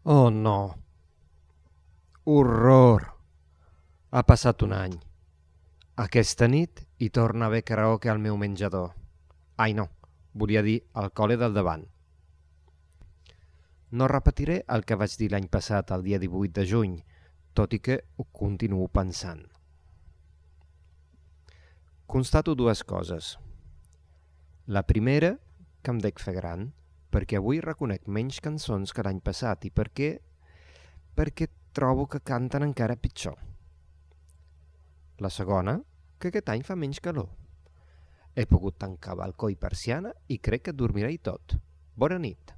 Oh no, horror! Ha passat un any. Aquesta nit hi torna a haver karaoke al meu menjador. Ai no, volia dir al col·le del davant. No repetiré el que vaig dir l'any passat, el dia 18 de juny, tot i que ho continuo pensant. Constato dues coses. La primera, que em dec fer gran, perquè avui reconec menys cançons que l'any passat i perquè trobo que canten encara pitjor. La segona, que aquest any fa menys calor. He pogut tancar balcó i persiana i crec que dormiré i tot. Bona nit.